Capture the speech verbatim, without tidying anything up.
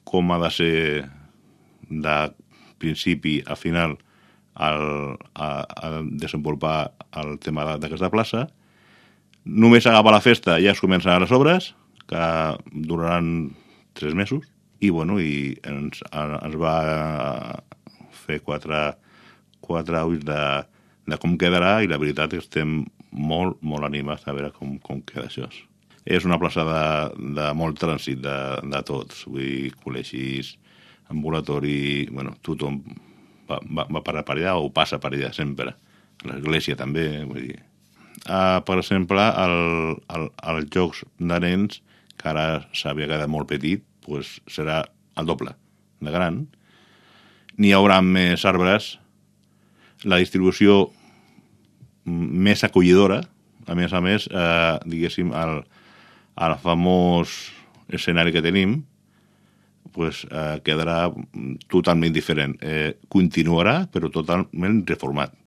com ha de ser de principi a final el, a, a desenvolupar el tema d'aquesta plaça. Només acaba la festa ja es comencen les obres, que duraran tres mesos, i, bueno, i ens, ens va fer quatre, quatre ulls de, de com quedarà, i la veritat és que estem molt, molt animats a veure com, com queda això. És una plaça de, de molt trànsit de, de tots, vull dir, col·legis, ambulatori, bueno, tothom va, va, va per allà o passa per allà sempre. L'església també, vull dir. Uh, per exemple, el, el, els jocs de nens, que ara s'havia quedat molt petit, pues serà el doble de gran. N'hi haurà més arbres, la distribució més acollidora, a més a més, eh, diguéssim, el, el famós escenari que tenim pues, eh, quedarà totalment diferent. Eh, continuarà, però totalment reformat.